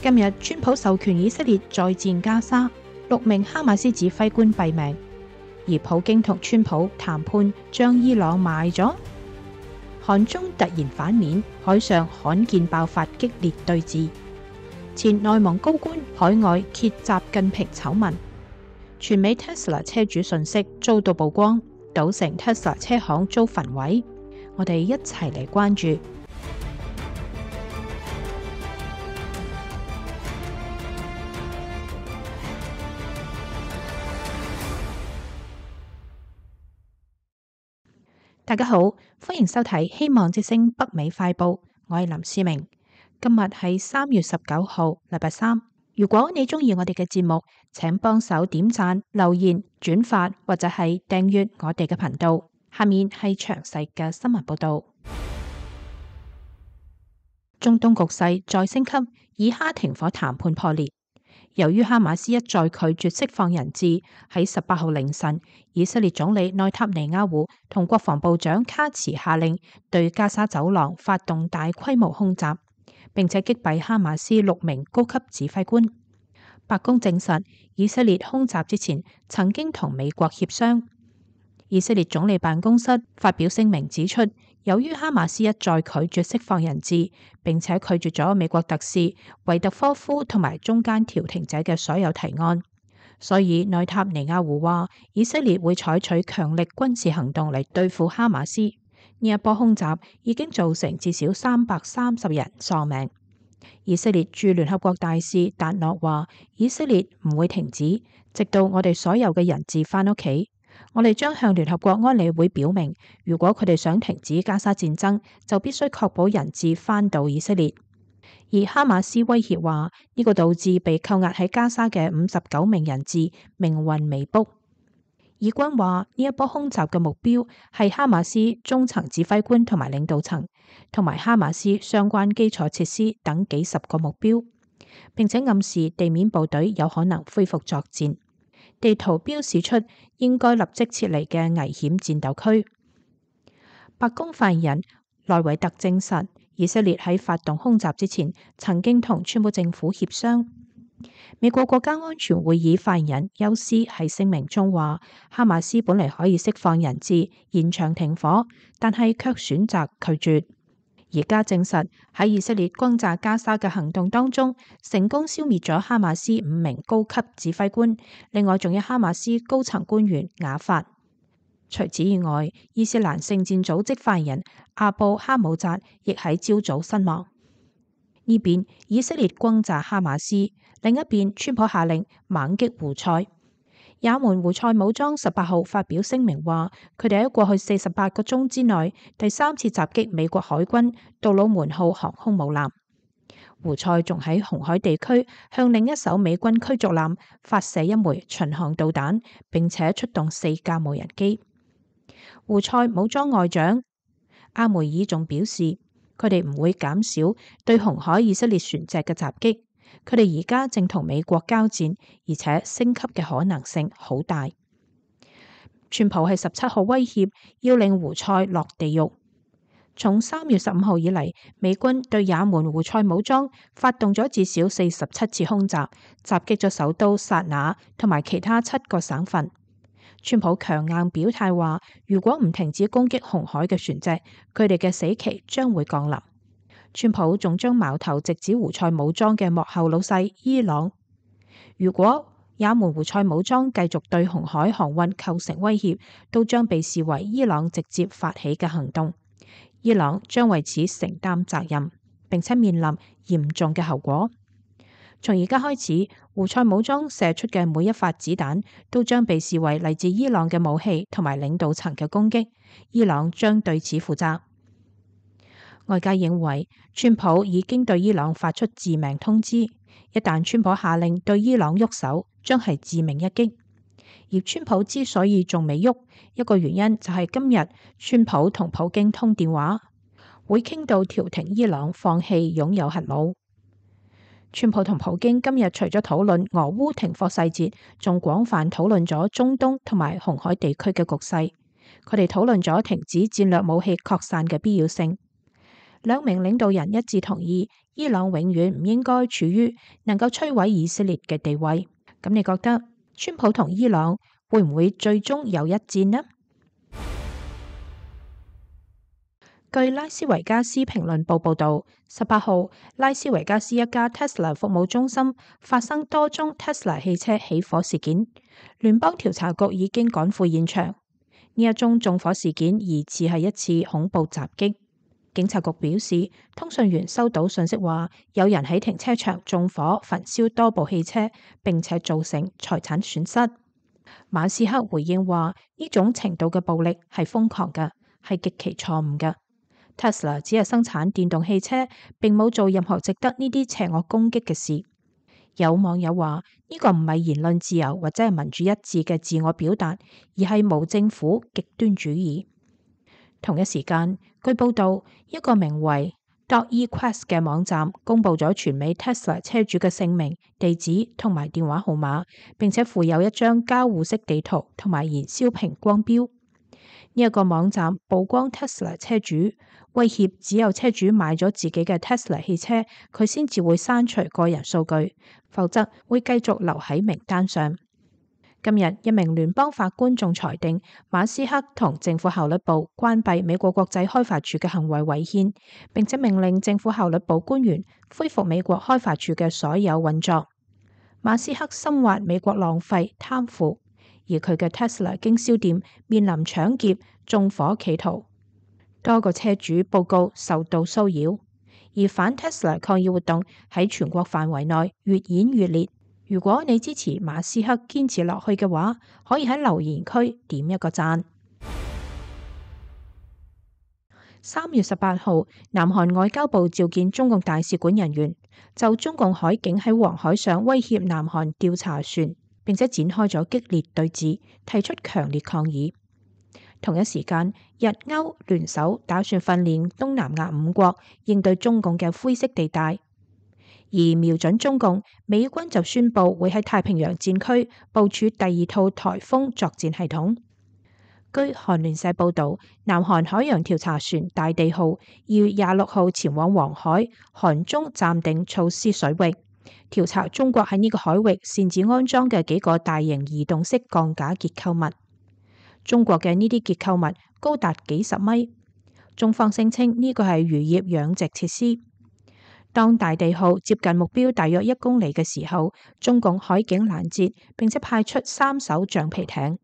今日川普授權以色列再戰加沙，6名哈馬斯指揮官斃命，而普京同川普談判將伊朗賣咗。韓中突然反面，海上罕見爆發激烈對峙。前內蒙高官海外揭習近平醜聞。全美 Tesla 車主信息遭到曝光，賭城 Tesla 車行遭焚毀。我哋一齊嚟關注。大家好，歡迎收睇希望之聲北美快報，我係林思明。今日係3月19號，禮拜三。如果你鍾意我哋嘅節目，請幫手點讚、留言、轉發或者係訂閱我哋嘅頻道。下面係詳細嘅新聞報道。中東局勢再升級，以哈停火談判破裂。由於哈馬斯一再拒絕釋放人質，喺18號凌晨，以色列總理內塔尼亞胡同國防部長卡茨下令對加沙走廊發動大規模空襲，並且擊斃哈馬斯6名高級指揮官。白宮證實，以色列空襲之前曾經同美國協商。以色列總理辦公室發表聲明指出，由於哈馬斯一再拒絕釋放人質，並且拒絕咗美國特使維特科夫同埋中間調停者嘅所有提案，所以內塔尼亞胡話以色列會採取強力軍事行動嚟對付哈馬斯。呢一波空襲已經造成至少330人喪命。以色列駐聯合國大使達諾話，以色列唔會停止，直到我哋所有嘅人質返屋企。我哋將向聯合國安理會表明，如果佢哋想停止加沙戰爭，就必須確保人質返到以色列。而哈馬斯威脅話，呢個導致被扣押喺加沙嘅59名人質命運未卜。以軍話呢一波空襲嘅目標係哈馬斯中層指揮官同埋領導層，同埋哈馬斯相關基礎設施等幾十個目標，並且暗示地面部隊有可能恢復作戰。地圖標示出應該立即撤離嘅危險戰鬥區。白宮發言人萊維特證實，以色列喺發動空襲之前曾經同川普政府協商。美國國家安全會議發言人休斯喺聲明中話，哈馬斯本嚟可以釋放人質、延長停火，但係卻選擇拒絕。而家證實喺以色列轟炸加沙嘅行動當中，成功消滅咗哈馬斯5名高級指揮官，另外仲有哈馬斯高層官員瓦法。除此以外，伊斯蘭聖戰組織發言人阿布哈姆扎亦喺朝早身亡。呢邊以色列轟炸哈馬斯，另一邊川普下令猛擊胡塞。也門胡塞武裝18號發表聲明話，佢哋喺過去48個鐘之內第3次襲擊美國海軍杜魯門號航空母艦。胡塞仲喺紅海地區向另一艘美軍驅逐艦發射1枚巡航導彈，並且出動4架無人機。胡塞武裝外長阿梅爾仲表示，佢哋唔會減少對紅海以色列船隻嘅襲擊。佢哋而家正同美國交戰，而且升級嘅可能性好大。川普喺17號威脅要令胡塞落地獄。從3月15號以嚟，美軍對也門胡塞武裝發動咗至少47次空襲，襲擊咗首都薩那同埋其他7個省份。川普強硬表態話，如果唔停止攻擊紅海嘅船隻，佢哋嘅死期將會降臨。川普仲將矛頭直指胡塞武裝嘅幕後老細伊朗。如果也門胡塞武裝繼續對紅海航運構成威脅，都將被視為伊朗直接發起嘅行動。伊朗將為此承擔責任，並且面臨嚴重嘅後果。從而家開始，胡塞武裝射出嘅每一發子彈都將被視為嚟自伊朗嘅武器同埋領導層嘅攻擊，伊朗將對此負責。外界認為，川普已經對伊朗發出致命通知，一旦川普下令對伊朗喐手，將係致命一擊。而川普之所以仲未喐，一個原因就係今日川普同普京通電話，會傾到調停伊朗放棄擁有核武。川普同普京今日除咗討論俄烏停火細節，仲廣泛討論咗中東同埋紅海地區嘅局勢。佢哋討論咗停止戰略武器擴散嘅必要性。兩名領導人一致同意，伊朗永遠唔應該處於能夠摧毀以色列嘅地位。咁你覺得川普同伊朗會唔會最終有一戰呢？據拉斯維加斯評論報報道，18號拉斯維加斯一家 Tesla 服務中心發生多宗 Tesla 汽車起火事件，聯邦調查局已經趕赴現場。呢一宗縱火事件疑似係一次恐怖襲擊。警察局表示，通訊員收到信息話，有人喺停車場縱火焚燒多部汽車，並且造成財產損失。馬斯克回應話，呢種程度嘅暴力係瘋狂嘅，係極其錯誤嘅。Tesla 只係生產電動汽車，並冇做任何值得呢啲邪惡攻擊嘅事。有網友話，呢個唔係言論自由或者係民主一致嘅自我表達，而係無政府極端主義。同一時間，據報道，一個名為 .equest 嘅網站公佈咗全美 Tesla 車主嘅姓名、地址同埋電話號碼，並且附有一張交互式地圖同埋燃燒瓶光標。呢一個網站曝光 Tesla 車主，威脅只有車主買咗自己嘅 Tesla 汽車，佢先至會刪除個人數據，否則會繼續留喺名單上。今日一名聯邦法官仲裁定馬斯克同政府效率部關閉美國國際開發署嘅行為違憲，並且命令政府效率部官員恢復美國開發署嘅所有運作。馬斯克深挖美國浪費貪腐，而佢嘅 Tesla 經銷店面臨搶劫、縱火企圖，多個車主報告受到騷擾，而反 Tesla 抗議活動喺全國範圍內越演越烈。如果你支持馬斯克堅持落去嘅話，可以喺留言區點一個讚。3月18號，南韓外交部召見中共大使館人員，就中共海警喺黃海上威脅南韓調查船，並且展開咗激烈對峙，提出強烈抗議。同一時間，日歐聯手打算訓練東南亞5國應對中共嘅灰色地帶。而瞄準中共，美軍就宣布會喺太平洋戰區部署第2套颱風作戰系統。據韓聯社報導，南韓海洋調查船大地號2月26號前往黃海韓中暫定措施水域，調查中國喺呢個海域擅自安裝嘅幾個大型移動式鋼架結構物。中國嘅呢啲結構物高達幾十米，中方聲稱呢個係漁業養殖設施。當大地號接近目標大約1公里嘅時候，中共海警攔截，並且派出3艘橡皮艇。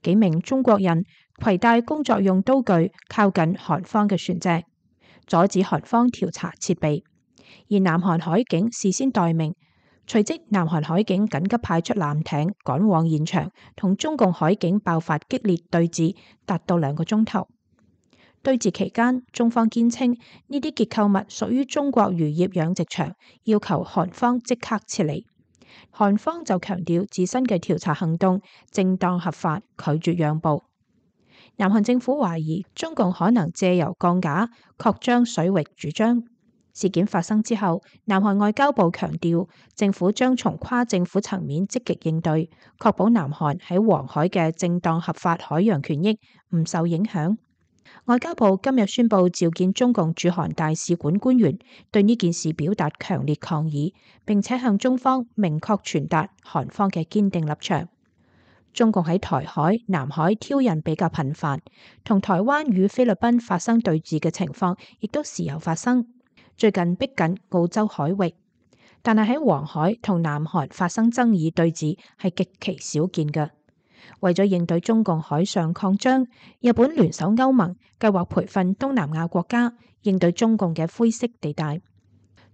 幾名中國人攜帶工作用刀具靠近韓方嘅船隻，阻止韓方調查設備。而南韓海警事先待命，隨即南韓海警緊急派出艦艇趕往現場，同中共海警爆發激烈對峙，達到2個鐘頭。對峙期間，中方堅稱呢啲結構物屬於中國漁業養殖場，要求韓方即刻撤離。韓方就強調自身嘅調查行動正當合法，拒絕讓步。南韓政府懷疑中共可能借由鋼架擴張水域主張。事件發生之後，南韓外交部強調政府將從跨政府層面積極應對，確保南韓喺黃海嘅正當合法海洋權益唔受影響。外交部今日宣布召見中共駐韓大使館官員，對呢件事表達強烈抗議，並且向中方明確傳達韓方嘅堅定立場。中共喺台海、南海挑釁比較頻繁，同台灣與菲律賓發生對峙嘅情況亦都時有發生。最近逼近澳洲海域，但係喺黃海同南韓發生爭議對峙係極其少見嘅。為咗應對中共海上擴張，日本聯手歐盟計劃培訓東南亞國家應對中共嘅灰色地帶。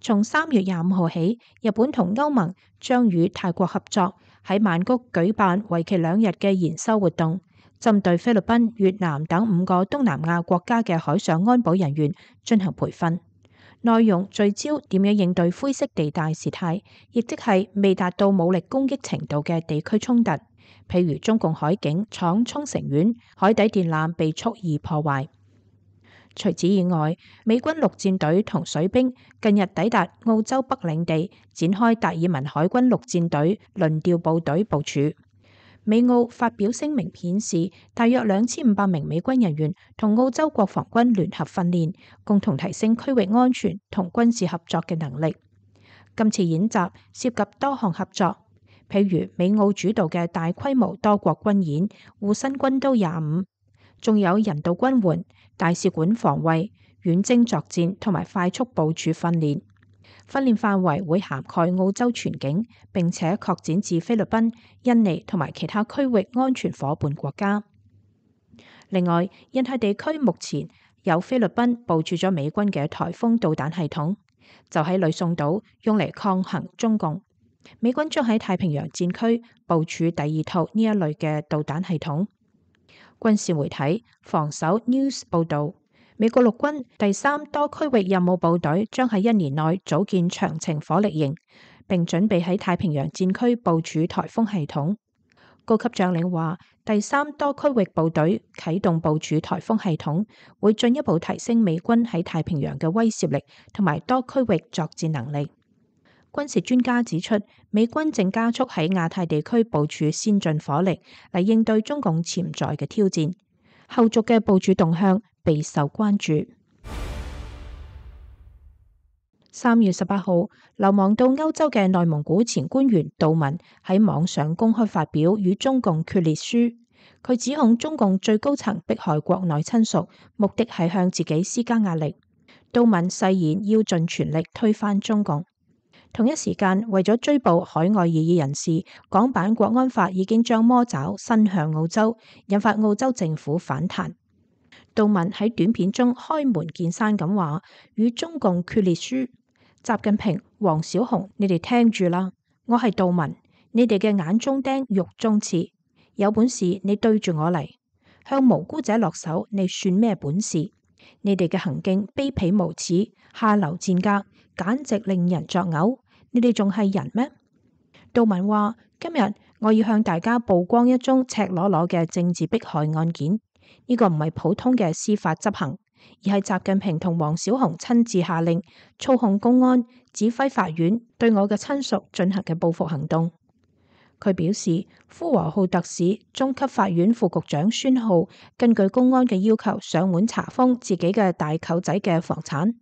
從3月25號起，日本同歐盟將與泰國合作喺曼谷舉辦為期2日嘅研修活動，針對菲律賓、越南等5個東南亞國家嘅海上安保人員進行培訓。內容聚焦點樣應對灰色地帶事態，亦即係未達到武力攻擊程度嘅地區衝突，譬如中共海警闖沖繩縣，海底電纜被蓄意破壞。除此以外，美軍陸戰隊同水兵近日抵達澳洲北領地，展開達爾文海軍陸戰隊輪調部隊部署。美澳發表聲明顯示，大約2500名美軍人員同澳洲國防軍聯合訓練，共同提升區域安全同軍事合作嘅能力。今次演習涉及多項合作，譬如美澳主導嘅大規模多國軍演護身軍刀25，仲有人道軍援、大使館防衛、遠征作戰同埋快速部署訓練。訓練範圍會涵蓋澳洲全境，並且擴展至菲律賓、印尼同埋其他區域安全夥伴國家。另外，印太地區目前有菲律賓部署咗美軍嘅颱風導彈系統，就喺呂宋島用嚟抗衡中共。美軍將喺太平洋戰區部署第2套呢一類嘅導彈系統。軍事媒體防守 News 報導，美國陸軍第3多區域任務部隊將喺1年內組建長程火力營，並準備喺太平洋戰區部署颱風系統。高級將領話，第3多區域部隊啟動部署颱風系統，會進一步提升美軍喺太平洋嘅威懾力同埋多區域作戰能力。軍事專家指出，美軍正加速喺亞太地區部署先進火力嚟應對中共潛在嘅挑戰，後續嘅部署動向備受關注。3月18號，流亡到歐洲嘅內蒙古前官員杜文喺網上公開發表與中共決裂書，佢指控中共最高層迫害國內親屬，目的係向自己施加壓力。杜文誓言要盡全力推翻中共。同一時間，為咗追捕海外異議人士，港版國安法已經將魔爪伸向澳洲，引發澳洲政府反彈。杜文喺短片中開門見山咁話：與中共決裂書，習近平、黃小紅，你哋聽住啦，我係杜文，你哋嘅眼中釘、肉中刺，有本事你對住我嚟，向無辜者落手，你算咩本事？你哋嘅行徑卑鄙無恥、下流賤格，簡直令人作嘔。你哋仲係人咩？杜文話：今日我要向大家曝光一宗赤裸裸嘅政治迫害案件，呢個唔係普通嘅司法執行，而係習近平同黃小紅親自下令操控公安、指揮法院對我嘅親屬進行嘅報復行動。佢表示，呼和浩特市中級法院副局長孫浩根據公安嘅要求上門查封自己嘅大舅仔嘅房產。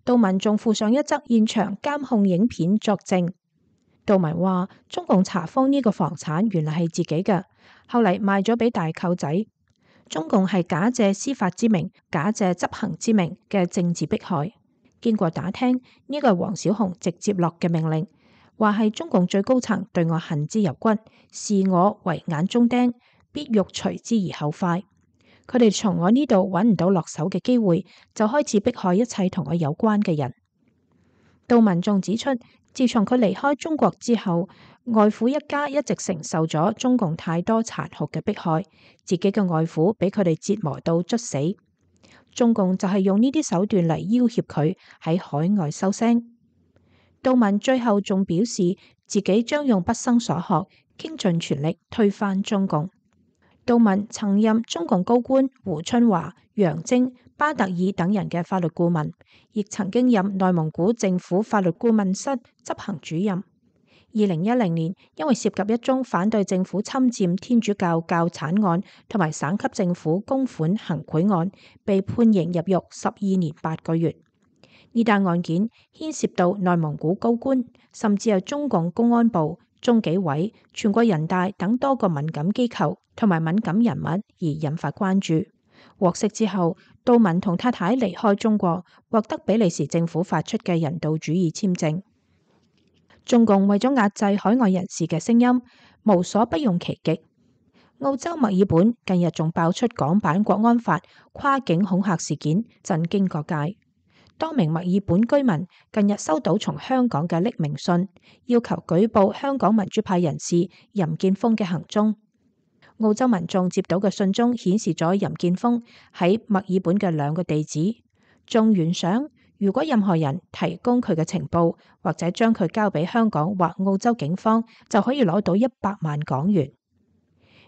杜文仲附上一則現場監控影片作證。杜文話：中共查封呢個房產原來係自己嘅，後嚟賣咗俾大舅仔。中共係假借司法之名、假借執行之名嘅政治迫害。經過打聽，呢個係黃小紅直接落嘅命令，話係中共最高層對我恨之入骨，視我為眼中釘，必欲除之而後快。佢哋從我呢度揾唔到落手嘅機會，就開始迫害一切同我有關嘅人。杜文仲指出，自從佢離開中國之後，外父一家一直承受咗中共太多殘酷嘅迫害，自己嘅外父俾佢哋折磨到猝死。中共就係用呢啲手段嚟要挾佢喺海外收聲。杜文最後仲表示，自己將用畢生所學，傾盡全力推翻中共。杜文曾任中共高官胡春華、楊晶、巴特爾等人嘅法律顧問，亦曾經任內蒙古政府法律顧問室執行主任。2010年，因為涉及一宗反對政府侵佔天主教教產案同埋省級政府公款行賄案，被判刑入獄12年8個月。呢單案件牽涉到內蒙古高官，甚至係中共公安部、中紀委、全國人大等多個敏感機構同埋敏感人物，而引發關注。獲釋之後，杜文同太太離開中國，獲得比利時政府發出嘅人道主義簽證。中共為咗壓制海外人士嘅聲音，無所不用其極。澳洲墨爾本近日仲爆出港版國安法跨境恐嚇事件，震驚各界。多名墨爾本居民近日收到從香港嘅匿名信，要求舉報香港民主派人士任建峰嘅行蹤。澳洲民眾接到嘅信中顯示咗任建峰喺墨爾本嘅2個地址，仲懸賞，如果任何人提供佢嘅情報，或者將佢交俾香港或澳洲警方，就可以攞到100萬港元。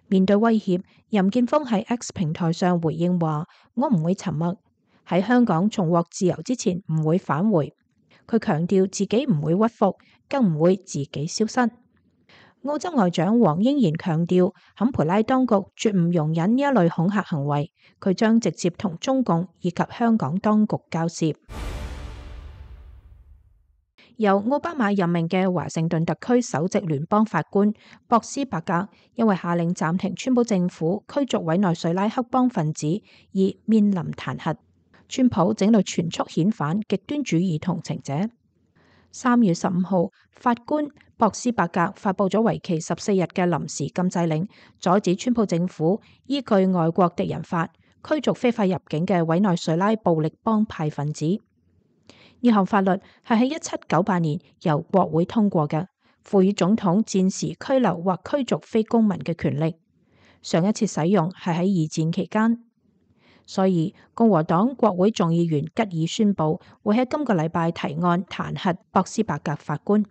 面對威脅，任建峰喺 X 平台上回應話：我唔會沉默，喺香港重獲自由之前唔會返回。佢強調自己唔會屈服，更唔會自己消失。澳洲外長黃英賢強調，坎培拉當局絕唔容忍呢一類恐嚇行為，佢將直接同中共以及香港當局交涉。由奧巴馬任命嘅華盛頓特區首席聯邦法官博斯伯格，因為下令暫停川普政府驅逐委內瑞拉黑幫分子而面臨彈劾。川普正在全速遣返極端主義同情者。3月15號，法官博斯伯格發布咗為期14日嘅臨時禁制令，阻止川普政府依據外國敵人法驅逐非法入境嘅委內瑞拉暴力幫派分子。呢項法律係喺1798年由國會通過嘅，賦予總統戰時拘留或驅逐非公民嘅權力。上一次使用係喺二戰期間。所以共和黨國會眾議員吉爾宣布會喺今個禮拜提案彈劾博斯伯格法官。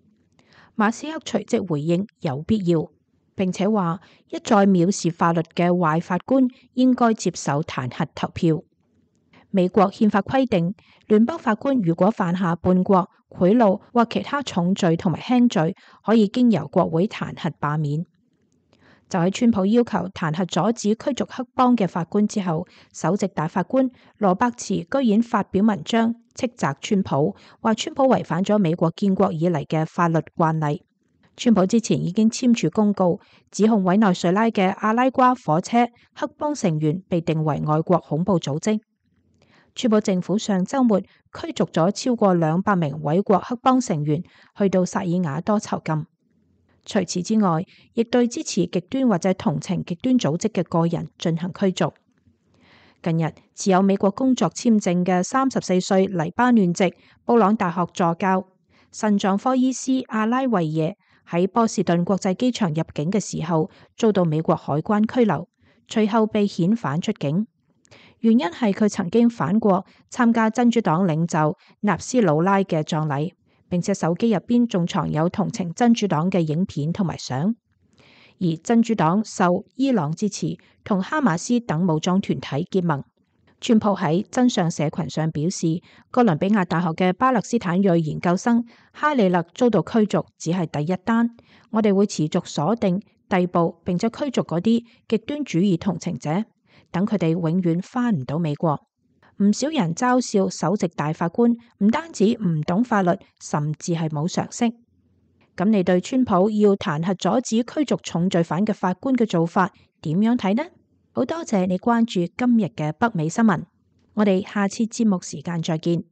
馬斯克隨即回應有必要，並且話一再藐視法律嘅壞法官應該接受彈劾投票。美國憲法規定，聯邦法官如果犯下叛國、賄賂或其他重罪同埋輕罪，可以經由國會彈劾罷免。就喺川普要求彈劾阻止驅逐黑幫嘅法官之後，首席大法官羅伯茨居然發表文章斥責川普，話川普違反咗美國建國以嚟嘅法律慣例。川普之前已經簽署公告，指控委內瑞拉嘅阿拉瓜火車黑幫成員被定為外國恐怖組織。川普政府上週末驅逐咗超過200名委國黑幫成員，去到薩爾瓦多囚禁。除此之外，亦對支持極端或者同情極端組織嘅個人進行驅逐。近日，持有美國工作簽證嘅34歲黎巴嫩籍布朗大學助教、腎臟科醫師阿拉維耶喺波士頓國際機場入境嘅時候，遭到美國海關拘留，隨後被遣返出境。原因係佢曾經返國參加真主黨領袖納斯魯拉嘅葬禮。並且手機入邊仲藏有同情真主黨嘅影片同埋相，而真主黨受伊朗支持，同哈馬斯等武裝團體結盟。川普喺真相社群上表示，哥倫比亞大學嘅巴勒斯坦裔研究生哈里勒遭到驅逐只係第一單，我哋會持續鎖定、逮捕並且驅逐嗰啲極端主義同情者，等佢哋永遠返唔到美國。唔少人嘲笑首席大法官唔單止唔懂法律，甚至係冇常識。咁你對川普要彈劾阻止驅逐重罪犯嘅法官嘅做法點樣睇呢？好多謝你關注今日嘅北美新聞，我哋下次節目時間再見。